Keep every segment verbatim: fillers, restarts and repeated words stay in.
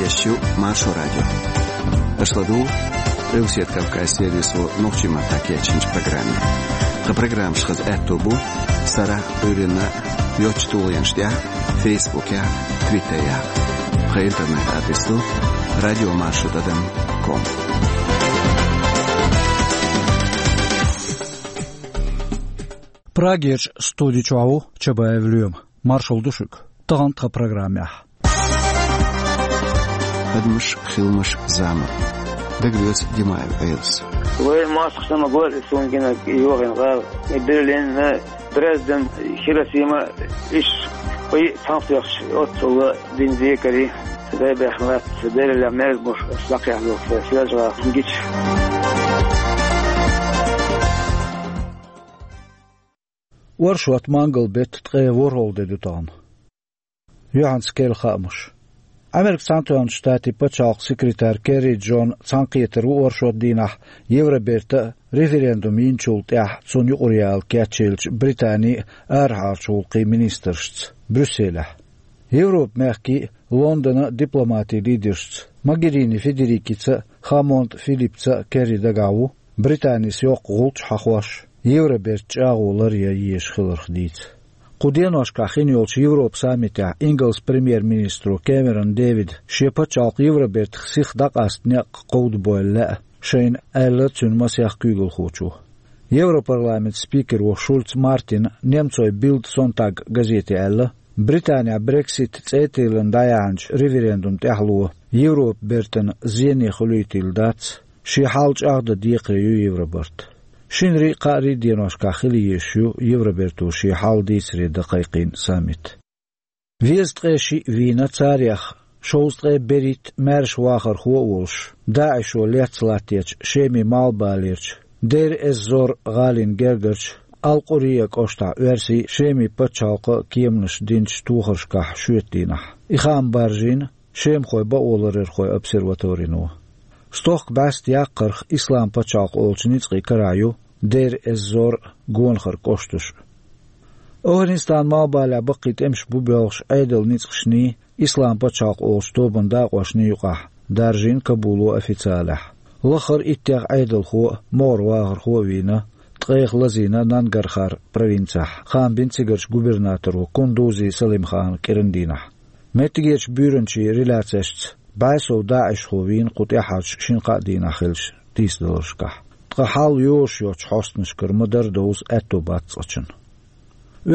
Эфире Маршо радио. Аша ладугӀу Къилбаседа Кавказан сервисо нохчийн маттахь кечйинчу программе. Тхан программаш хаза аьтто бу сарахь а, Ӏуьйранна а йоцачу тулгӀенаш тӀехь а, Фейсбукехь а, Твиттерехь а. Тхан интернет-адрес ду радио маршо тӀадам ком. Прагерчу студи чохь ву Чабаев Лоьма. Маршалла ду шуьга. Тахана тхан программехь: адамаш, хиламаш, зама. Дагалоьцу Димаев Ӏелас. Вай мостагӀчунна гӀо а суна гина йохийна гӀала. И Берлин, Дрезден, Хиросима, иш вай цхьаьна тоьхча, оццул дина декари. Дай бехна лаьцна, Делан мерза болуш, аса дӀакхехьна ду, сан соьлжа гӀала гича. Оршот, мангал беттан ткъе ворхӀалгӀа де ду тахана. Юьхьанца керла хаамаш. Америкин Цхьаьнатоьхначу Штатийн пачхьалкхан секретарь Керри Джон цхьаьнакхетар ву оршот дийнахь Евробертан а референдум йинчул тӀаьхьа цунна юкъара яла кечъеллачу Британин а арахьарчу гӀуллакхийн министрашца Брюсселехь. Европан мехкийн а, Лондонан а дипломатийн лидершца Могерини Федерикица а, Хаммонд Филиппца а Керри дагахь ву Британис йоккха гӀулч хьахош, Евроберт чӀагӀо ларъян езаш хиларх дийца. Кху деношкахь хин йолчу Европан саммитехь Ингалсан премьер-министро Кэмерон Дэвида шен пачхьалкх Евробертах сиха дӀакъаста некъ кховдабойла лаьа шайна, аьлла цуьнан масех куьйгалхочо. Европарламентан спикеро Шульц Мартина немцойн Bild Sonntag газете аьлла, Британехь Брексит цӀе а тиллина дӀаяьхьначу референдум тӀаьхьало Европан бертана зене хуьлуьйтийла дац, шен хьал чӀагӀдан декхаре ю Евробарт. Шинарий а, кхаарий а деношкахь хила езаш ю Евроберто шен хьал дийцаре дан кхайкхийна саммит. Везткъе шиъ вийна царех, шовзткъе берхӀитта маьрша вахархо а волуш, ДАИШо лецна латточу Шемин малхбалерчу Дейр-эз-Зор гӀалин гергарчу Ал-Къурия кӀоштахь оьрсийн а, Шемин пачхьалкхан а кеманаш динчу тохаршкахь шоьтан дийнахь. И хаам баржийна шемахойн бакъоларъярхойн обсерваторино. Стохка бӀаьста яккхарх Ислам пачхьалкх олучу ницкъийн карахь ю Дейр-эз-Зор а, гонахара кӀошташ а. Афганистанан малхбалехь баккхий тӀемаш бу боьлхуш Ӏедалан ницкъашний, Ислам пачхьалкх олучу тобанан дакъошний юкъахь даржийна Кабуло официалехь. Лаххара иттех Ӏедалхо а, могӀара вахархо а вийна, ткъех лазийна Нангархар провинцехь, хаам бина цигарчу губернаторо Кундузи Салимхана кӀиран дийнахь. Меттигерчу буьйранчин реляцешца, бӀе сов даишхо вийна кху тӀаьххьарчу шина-кхаа дийнахь хиллачу тийсадаларшкахь. Ткъа хьал йозуш йоцчу хьостанашкара ма-дарра довза аьтто бац цкъачунна.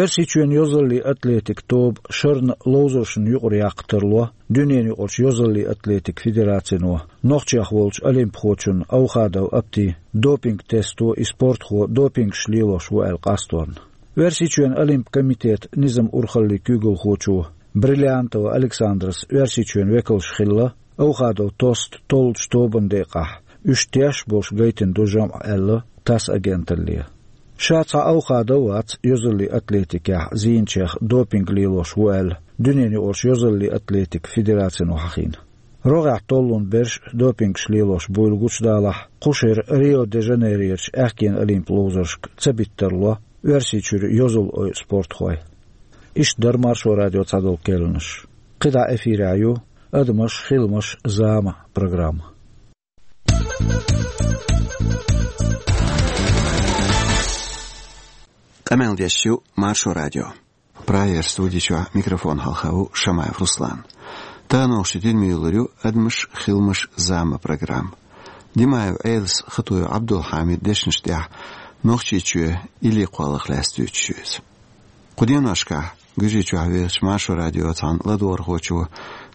Оьрсийчоьнан йозаллин атлетикан тоба шарна ловзаршна юкъара яккха тарло дуьненаюкъарчу йозаллин атлетикан федерацино нохчех волчу олимпхочунна Аухадов Аптин допинг-тесто и спортхо допингаш лелош ву аьлла къасторна. Оьрсийчоьнан олимпийн комитетан низам-урхаллин куьйгалхочо Бриллиантова Александрас Оьрсийчоьнан векалш хилла Аухадовн тост толлучу тобанан декъахь, уьш тешаш болуш гайтина ду жамӀ аьлла ТАСС агенталле. Ша цхьа Аухадов а вац йозаллин атлетикехь зийначех допинг лелош ву аьлла дуьненаюкъарчу йозаллин атлетикан федерацино хьахийна. РогӀехь толлун берш а допингаш лелош буйла гучудалахь, кху шеран Рио-де-Жанейрерчу аьхкенан олимпийн ловзаршка ца бита тарло Оьрсийчуьра йозалла ойу спортхой. Иштта дара Маршо радион цхьадолу керланаш. КхидӀа эфирехь ю «Адамаш, хиламаш, зама» программа. Къамел деш ю Маршо радио. Прагерчу студи чохь микрофон хьалха ву Шамаев Руслан. Тахана оха шуьга дина муьйлур ю «Адамаш, хиламаш, зама» программа. Димаев Ӏелас, Хатуев Ӏабдулхьамидан дешнаш тӀехь Нохчийчоь илли кхолларх лаьцна дуьйцуш ю иза. Кху деношкахь Гуьржийчохь вехачу Маршо радион цхьана ладогӀархочо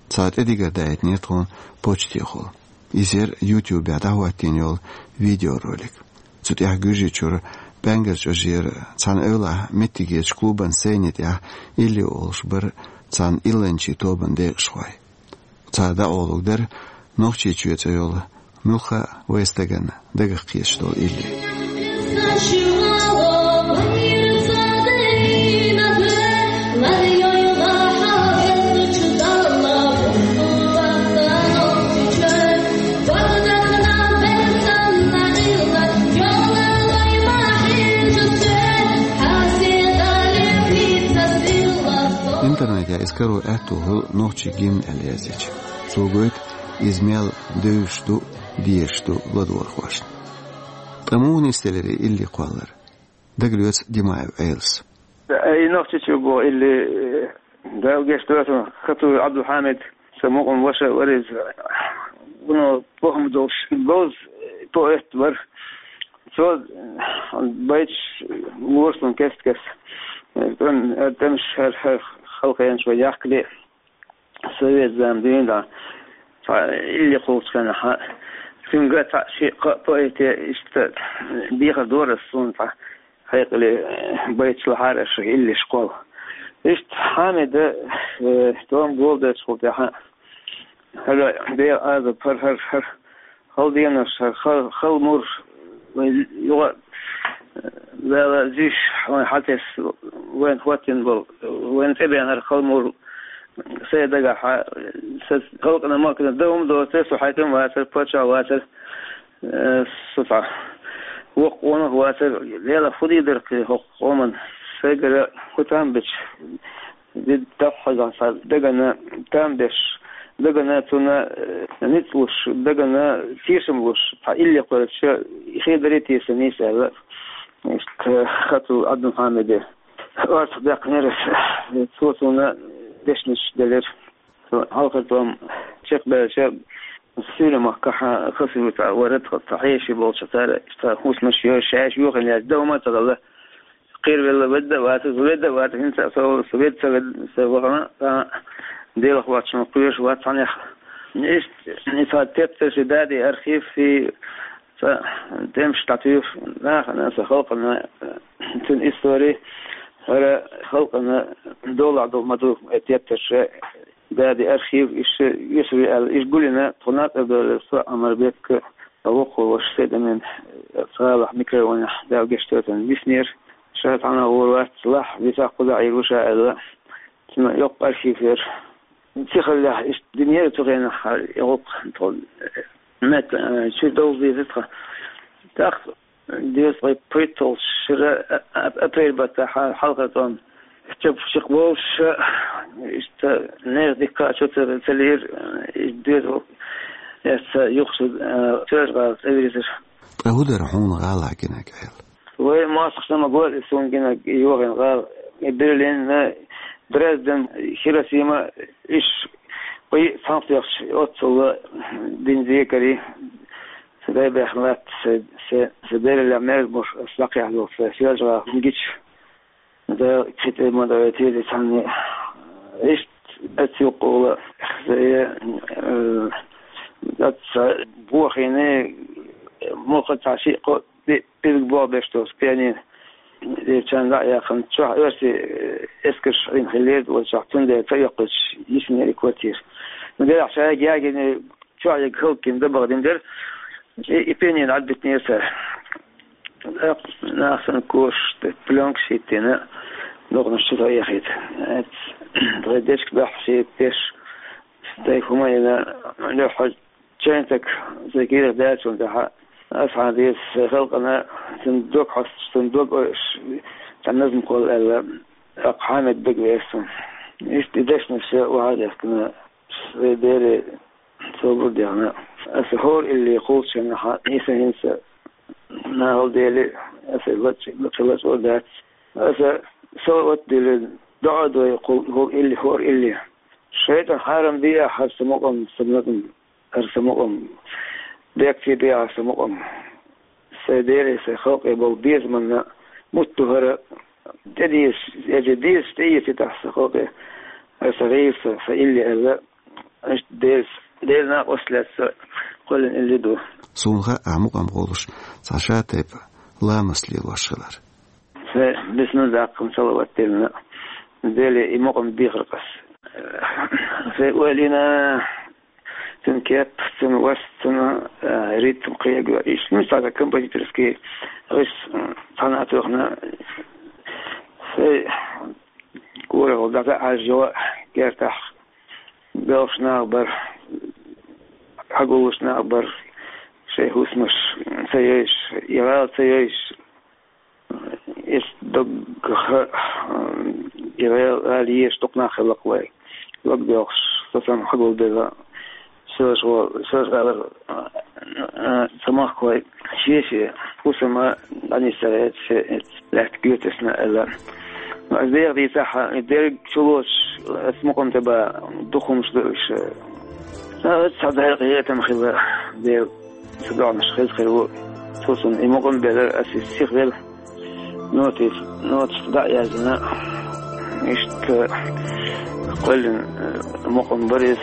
цхьа тӀедигар даийтинера тхуна почтехула. Иза яра YouTube-ехь дӀахӀоттийна йолу видеоролик. Цу тӀехь Гуьржийчуьра ПӀаьнгара чӀожера цхьана эвлахь меттигерчу клубан сцени тӀехь илли олуш бара цхьана илланчийн тобанан декъашхой. Цара дӀакъовлург дара Нохчийчоь цӀе йолу муьлхха а вайн стагана дагах кхеташ долу илли. Интернетехь иза каро аьтто хуьлу нохчийн гимн аьлла яздечу. Цо гойту Иза мел девзаш ду, дезаш ду ладогӀархошна. Ткъа муха нисделира илли кхоллар? Дагалоьцу Димаев Ӏелас. Ай, нохчичу боху илли, э, Дала гечдойла, Хатуев Ӏабдулхьамид, сан мукъам ваша вара иза. Вуно похӀма долуш, говза поэт вара. Цо байташ лора суна кест-кеста. ТӀем-, тӀемаш хӀара, хӀара халкъенаш вай яхкале. Совет зама дуьйна дӀа цхьа илли кхуллучу хенахь, цуьнга цхьаъ шиъ-кхоъ поэте иштта дехар дора ас суна цхьа хьекъале, байташ лахьара аша иллиш кхолла. Иштта Хьамида, э, тӀом болдечул тӀаьхьа, хӀара Делан Ӏазап, хӀара, хӀара, хӀара хала денаш, хӀара хала, хала мур, вай юха, э, Дала зиш вайн хьатесна, вайна хӀоттина болу, вайна тӀебеана хӀара хала мур, сайн дагахь, сан халкъана, махкана дан хӀума доцура, со хьаькам вацара, паччахь вацара, э, со цхьа воккха къонах вацара, Делах хӀун дийр дара кхин хӀокху къоман, сайгара хӀун там бича, дӀахьажахь сан дагана там беш, дагана цунна, э, ницкъ луш, дагана тешам луш, цхьа илли кхоьллича, хир дарий те сан нийса аьлла, иштта Хатуев Ӏабдулхьамиде. Орцах даьккхинера ас, цо суна дешнаш делира. Со хьалхара тӀом чекхбаьлча, Суьйре-махкахь Хасавюртахь вара тхан цхьа хьеший болчу цара, иштта хӀусамаш йо, шаьш юхана яц, дан хӀума а ца хилла. Кхеравелла ведда а вацара, ведда а вацара, хӀинца а со, со ведда ца ведда, сан вахана, а, Делах воцчунна кхоьруш вац цхьаннех. Иштта, и цхьа тептарш, и дади архив, и цхьа тӀемаш дӀатуьйху нахана, сан халкъана, цуьнан истори, хӀара халкъана долахь долу ма ду, и тептарш, дади архив, иштта, иштта ве аьлла, иштта гулйина, тхо нацӀар долу со Ӏамарбекка, воккхо ваша Сайдамин, цхьалахь микрорайонехь, Дала гечдойла, виснера, ша цхьана гӀур вац, лахь, висахь кхузахь Ӏийр ву ша аьлла, цуьнан йоккха архив яра. Цхьа хиллехь, иштта динера цу хенахь, и гӀуллакх тхо, мет, э, чу довза деза тхан. ТӀаккха Деза вай пхийтталгӀачу шеран а-, а-, апрель баттахь хьалхара тӀом чекхболуш, иштта нехан дика а чу ца, ца лиира, и деза ву, эцца юхаш, а, Соьлжа-ГӀала цӀа вирзира. Ткъа хӀун дара хьуна гӀалахь гинарг, Ӏела? Вай мостагӀчунна ма гой и суна гинарг, и йохийна гӀала, и Берлин, Дрезден, Хиросима, иш, кхин а цхьаьнакхеташ, оццул дина декари. Сан дай баьхна латта, сан, сан, сан Делан мерза муш ас дӀакхехьа долу сан Соьлжа-ГӀала гича. Дала кхин тӀе ма дойти иза цхьанне. Иштта ас юккъула, сан, э, аса бохийна, муха цхьа шиъ-кхоъ пи-, пилг бохбеш долу пианино. Иза чан дӀа а яьккхина, чохь оьрсийн, э, эскарш Ӏийна хиллера, вай чохь цундела ца йоккхуьйтуш йисинера и квартира. Ну, делахь шайга ягийна, чохь ерг хӀаллакдина, дабагӀа дина дара, и, и пианино дӀабитинера цара. ТӀаккха нах санна кошаш, тӀе плёнкаш хӀиттина, дукханаш чу ца эхийта. Эц, тхайн дечка дуьхьа шийтта деш, тхайн хӀума йина, дуьхьа чайнтаг, сайн кийрах даьллачул тӀаьхьа, аса хьан деза, сайн халкъана, цуьнан дог хьоьстуш, цуьнан дог ойуш, цхьа назма кхолла аьлла, тӀаккха Хьамид дага веара суна. Иштта и дешнаш охьа а дехкина, сайн Деле собар а дехна, аса хӀора илли кхуллучу хенахь, нийса хӀинца нахала дели, аса лачкъа, лачкъа а дац. Аса салават а дели, доӀа а дой кхул-, хӀора илли, хӀора илли. ШайтӀан хьарам де ахь хӀара сан мукъам, сан мукъам, хӀара сан мукъам. Бехке бе ахь сан мукъам. Сайн Деле, сайн халкъе болу безаманна мутт ду хӀара, тӀедезаш, эжа дезаш тӀеэцийта ахь сан халкъе, хӀара сан гӀийла, сан, сан илли аьлла, иштта Делаца, Делан накъосталлица кхоьллина илли ду. Суна хаьа ахь мукъам гӀолуш цхьа шатайпа ламаст лелош хилар. Сайн бисмилла даккхина, салават диллина, Деле и мукъам дехира ас. Сайн ойла йина, цуьнан кеп, цуьнан вас, цуьнан, э, ритм кхега, иштта, ну, цхьа композиторский гӀирс, м, цхьаьна а тоьхна, сайн корехула дӀаса а хьаьжжа, гертахь белхаш нах бара, хьагуллуш нах бара, шайн хӀусамаш ца йойуш, и гӀала ца йойуш, Эс дог ха, и гӀала езаш дукха нах хилла-кх вай. Дог доьлхуш, со санна хьагулбелла. Сош гӀо-, сош гӀалар, а, а, ца махкой, шеши, хӀусама, дӀанисарет, ше, лаьтта гуьтасна аьлла. Ну, аз дегӀ дийцахьа, и дерг чулош, ас мукъам тӀе ба, духумаш ду уьш. А, ца дерг гӀетам хила, дел, ца доӀанаш хеза хир ву. Цусун и мукъам белар, ас и сих вел. Нотис, нотис дӀа а яздина, иштта кхоьллина, э, мукъам бар иза.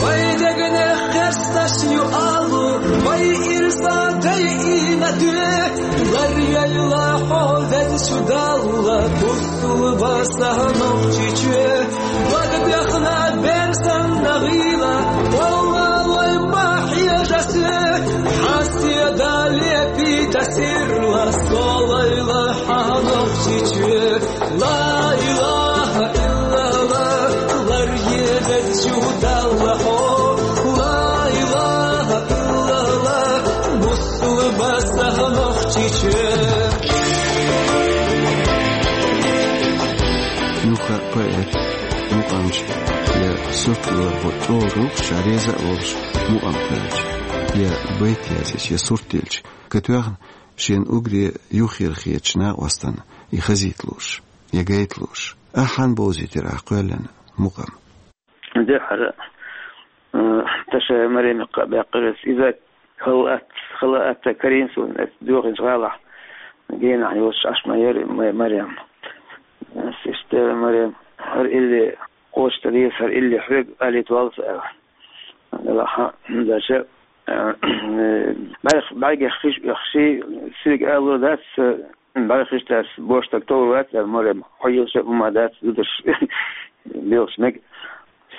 Вай дегнех хесташ ю алу, вай ирса дайина дуьхьа, лар яйла хьо везачу Далла, бусулба са нохчичоь. Бага бехна бер санна гӀийла, валлалой ма хьежа се, хьасе дале пита сирла, солайла хьанохчичоь. Ла илаха иллаллах, лар езачу Далла хьо. Ла илаха иллаллах, бусулба са нохчичоь. Юха поэт, мукъамча, я сурт лелар бу тӀо рухча реза а волуш, мукъам кхоьллича, я байт язъеш, я сурт дилча, катоьхна шен уггаре юххера хетачу накъостана и хазийта лууш, я гайта лууш. Ахьа хьан бовзийтира ахь кхоьллина мукъам? Дуьххьара, э, Ташаева Марема кхаъ баьккхира ас. Иза хала атта, хала атта карийна суна, ас доьхначу гӀалахь генахь йоцуш Ӏаш ма яра ма-, Марем. Ас иштта, Марем, хӀара илли кхочуш ца деза, хӀара илли хьоьга алийта валлалц аьлла. Делахь, хӀунда аьлча, э, бӀаьрг-, бӀаьргех хиш оьхуш, соьга алур дац, э, бӀаьргех хиш дац, бош стаг товр вац аьлла, Марем, хьо йилча а хӀума дац, зударш белхаш мега,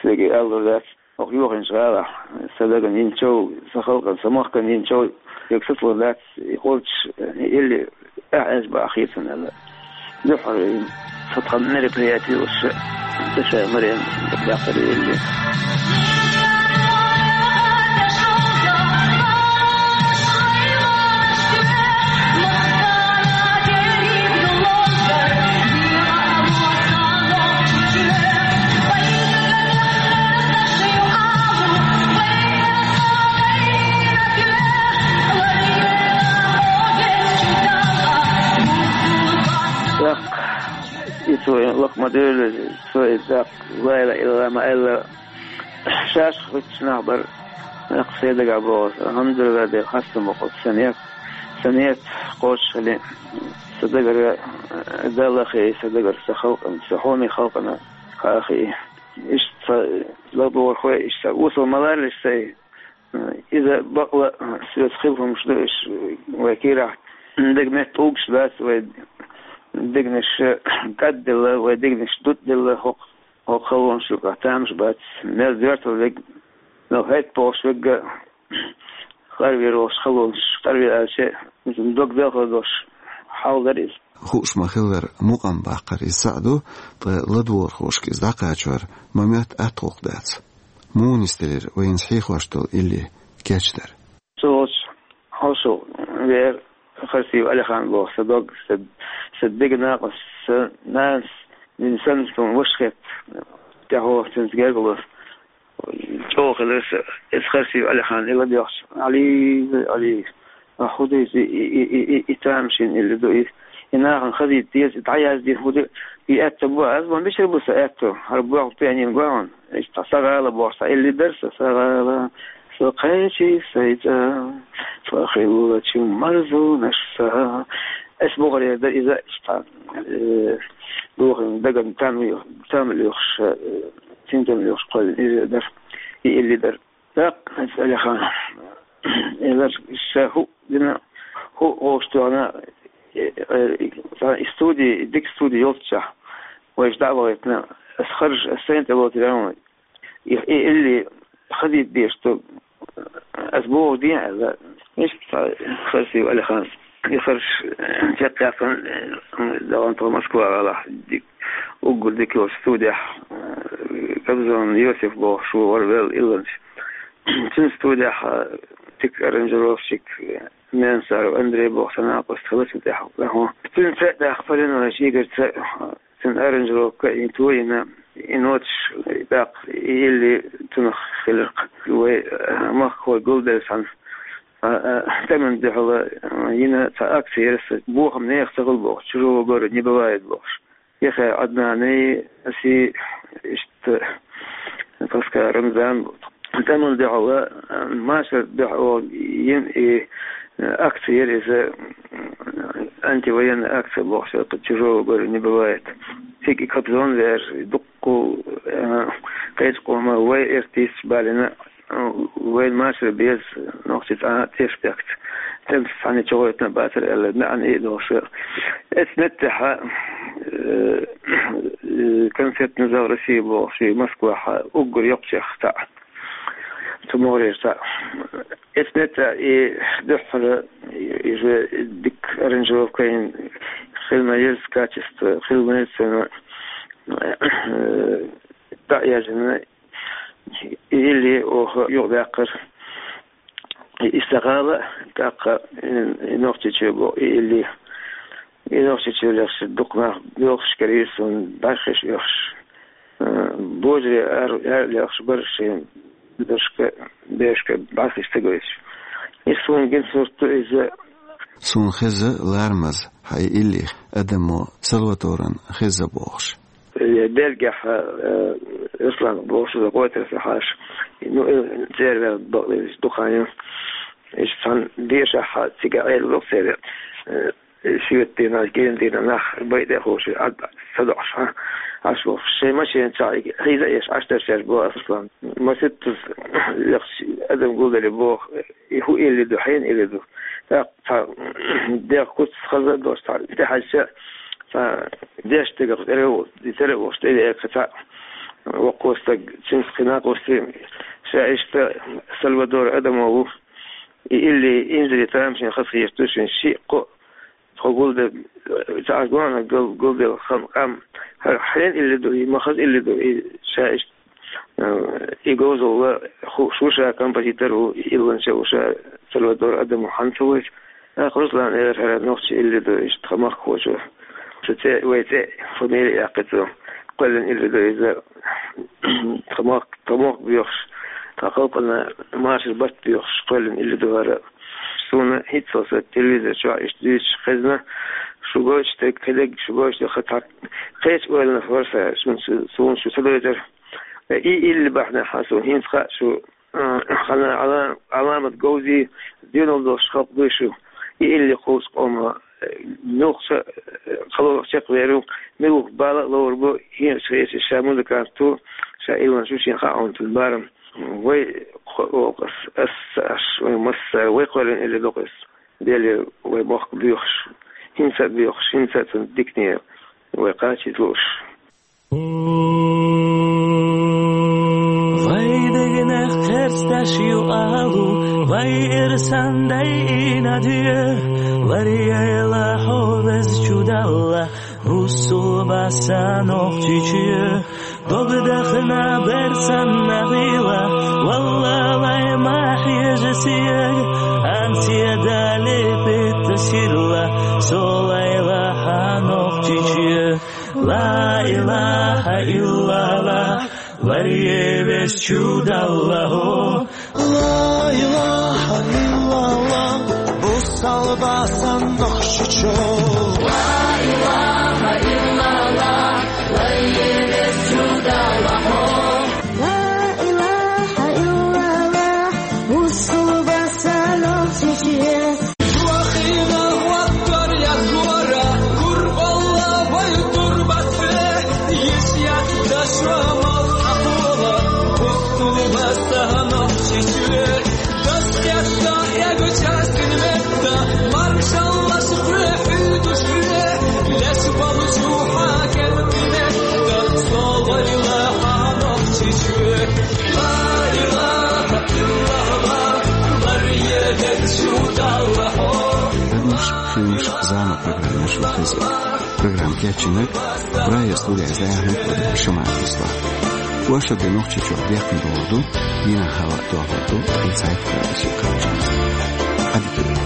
соьга алур дац. Оха йохийначу гӀалахь, сан дагна йинчул, сан халкъана, сан махкана йинчул, ерг сацалур дац, и кхочуш, и илли ахь аьлча бан хеташ ца хилла. Дуьххьара сан тхан мероприяти луш, Ташаева Марема баьккхира и илли. ТӀаккха и цо лакха ма девлла, цо и тӀаккха ла илаха иллаллах ма аьлла, шаьш хуьттуш нах бара, тӀаккха сайн дагахь боху, алхьамдулиллахӀ, Дела, хастам бу-кх оцу сан некъ, сан некъ кхочушхилла, сан дагара Далла хии, сан дагара сан халкъана, сан хьоме халкъана хаа хии. Иштта сан ладогӀархой, иштта сан осал ма ларалаш сайн. Иза бакъ ла соьца хилла хӀумаш ду уьш вай кийрахь. Деган метта тӀулгаш дац вай, дегнаш кӀадделла, вай дегнаш дутӀделла, хӀокху, хӀокху халонаш юкъахь тамаш бац. Мел доьртал верг, мел хӀайтта бохуш верг а, къарвер волуш халонаш, къарвер аьлча, иза дог белхалла долуш хьал дара иза. Хууш ма-хиллара, мукъам баккхар иза цхьаъ ду, ткъа ладогӀархошка иза дӀакхачор ма моьтту атта гӀуллакх дац. Муха нисделира вайна хьехош долу илли кечдар? Цу волчу хьошалгӀа веара Харсиев Алихан боху сан дог, сан, сан деган накъост, сан нанас дина санна суна ваша хетта, тӀаьхьо цуьнца гергало. ЧӀогӀа хилира сан, иза Харсиев Алихан и ладоьгӀча, Ӏали, Ӏали, а хӀун ду иза, и, и, и, и, и тамашийна илли ду, и, и нахана хазийта деза, и дӀаяздина хӀун ду, и аьтто бу, аз ван бичара бу сан аьтто, хӀара боху пианин гой хьуна. Иштта сан гӀала бохуш, сан илли дара сан, сан гӀала, со кхечи сайца, со хиллачу марзонаш сан. Ас бохур яра дан иза, иштта, э, духин даган там, там лоьхуш, э, синтем лоьхуш кхоьллина иза дара, и илли дара. ТӀаккха аса Алихан, элар ша хӀу дина, хӀу гӀовш тоьхна, э, э, и студи, дика студи йолччахь, вайша дӀа а вахийтина, ас харжа, ас сайна тӀе лоцур яц, и, и илли хазийта дезаш ду, ас боху ден аьлла. Иштта Харсиев Алихан. И харш чекхъяьккхина, э, дахана тхо Москва гӀалахь, ди-, уггар дика йолчу студехь, э, Кобзон Йосиф бохуш ву вара велла илланча. Цуьнан студехь, э, дика аранжировщик, э, Менсаров Андрей боху сан накъост хилла цуьнан тӀехь. Цуьнан цӀе а даьккха, Полинович Игорьца, э, цуьнан аранжировка а йина, то а йина, и ноташ, и тӀаккха, и илли цунах хиларх. Вай, э, махкахой гулдерсан, а, а, тӀеман дуьхьала, а, йина цхьа акци яр са, бохам нехан ца хул бохуш, чужого горя не бывает бохуш. Яхай Ӏаднанай, аси, иштта, Паска Рамзан, тӀеман дуьхьала, а, машар дуьхьа йина и, а, акци яр иза, а, антивоенная акция бохуш, чужого горя не бывает. Цига и Кобзон вер, дуккха, а, кхечу къома вай артисташ балина, вайн машар беза, нохчий цхьа а теш бехкца. Цуьнца цхьаьна чугӀойтина бацара аьлла, маьӀна и а долуш. Эцу меттехьа, э, концертный зал России бохуш, и Москвахьа уггар йоккхачех цхьаъ. Цу могӀарера цхьаъ. Эцу меттехь и дуьххьара, и же дика аранжировка йина, хила ма еза качество, хила ма еза цуьнан, э, дӀа а яьржина, и илли оха юкъадаьккхира. И Истагъала, тӀаккха и, и Нохчийчоь боху, и илли. И Нохчийчоь лехча дукха нах боьлхуш карийра суна, бӀаьрхиш оьхуш. Э, божаре ар-, ар лехуш бара шайн дашка, бешка бӀаьрхиш ца гойтуш. И суна гина сурт ду иза. Суна хеза ларамаза, хьан и илли адамо Сальвадоран хеза бохуш. Э, Бельгехь, э, Руслан бохуш, иза гӀойтар сан хьаша. Ну, э, цервер бакъдерг дукха ю. Иштта цхьана дешахь цига Ӏела ло цервер. Э, шоьтан дийнахь, генан дийнахь нах бай тӀе а ховший, Ӏад ца доӀуш, а, Ӏаш бохуш. Шайн машен чохь хьийза а еш, Ӏаш дерш еш боху аса Руслан. Маситтаза лехча адам гулделли боху, и хӀун илли ду, хьенан илли ду. ТӀаккха цхьа дегӀ куц хаза а долуш, цхьа тӀехьаьжча, цхьа деш дегах тӀера а волуш, тӀера а волуш, тӀе а веара цхьа воккхо стаг, цуьнца кхин накъостий, ша иштта Сальвадор Адамо ву. И илли инзаре тамашийна хазахеташ ду шуна шиъ-кхоъ, тхо гулбе-, ца Ӏаш гонах гал-, гулбелла хан къам. ХӀара хьенан илли ду, и ма хаза илли ду, и ша иштта, э, и говзалла хууш ву ша, композитор ву, и илланча ву ша, Сальвадор Адамо хьан ца вайча. ТӀаккха Руслана элира, хӀара нохчийн илли ду, иштта тхан махкахочо. Цу цӀе, вай цӀе, фамилия яьккхи цо. Кхоьллина илли ду иза. Тхан мохк, тхан мохк боьхуш, тхан халкъана машар барт боьхуш, кхоьллина илли ду хӀара. Суна хӀинццалц телевизор чохь иштта дуьйцуш хезна, шу гойтуш дерг, кхидерг шу гойтуш дерг, хӀара цхьа кхечу ойланах вара сан, шуна шу, суна шу ца дойтура. И илли бахьанехь суна хӀинца хаьа шу, а, хана Ӏала-, Ӏаламат говзий, доьналла долуш халкъ дуй шу. И илли кхуллучу къоман, э, муьлхха, э, кхалорах чекхвер ву, муьлхха бала а ловр бу, хӀинца хезча ша музыкант ву, ша илланча ву, шена хаьа хьуна цуьнан барам. Вай кхо-, ас, ас, аш, вай массара, вай кхоьллина илли ду-кх иза. Деле вай мохк боьхуш, хӀинца а боьхуш, хӀинца а цунна дикане вай кхачийта лууш. Вай дегнех керсташ ю алу, вай ирсан дайина де, варьяйла хьо, Везачу Далла, хӀусу баса Нохчийчоь. Дог дахана бер санна гӀийла, валлалай ма хьежа сиер, хӀанз седали питта сирла, со лайла хьан Нохчийчоь. Ла илаха иллаллах, варье Везачу Далла хьо. Ла илаха иллаллах, бусалба сан Нохчийчоь. Ла илаха иллаллах, варье Везачу Далла хьо. Ла илаха иллаллах, бусалба сан Нохчийчоь. Юхина хӀоттор я гора, курбалла вай турбасе, йиш ятта шо мал хьакхола, хӀуттула сан Нохчийчоь. Дас хетта эгу частин метта, маршаллаш хьоьхуьйтуш ве, леш болчу хьан кӀелхи метта, со вайла хьан Нохчийчоь. Ла илаха иллаллах, варье Везачу Далла хьо. Адамаш, хиламаш, зама программаш ю хеза. Программа кечйинарг, прая студияз дӀаяхьнарг вара Шамаев Руслан. Вай шо де Нохчийчохь бехкан догӀур ду, дийнахь хӀаваъ дохур ду ткъе цхьайтта градусе кхаччалц. Ӏадика.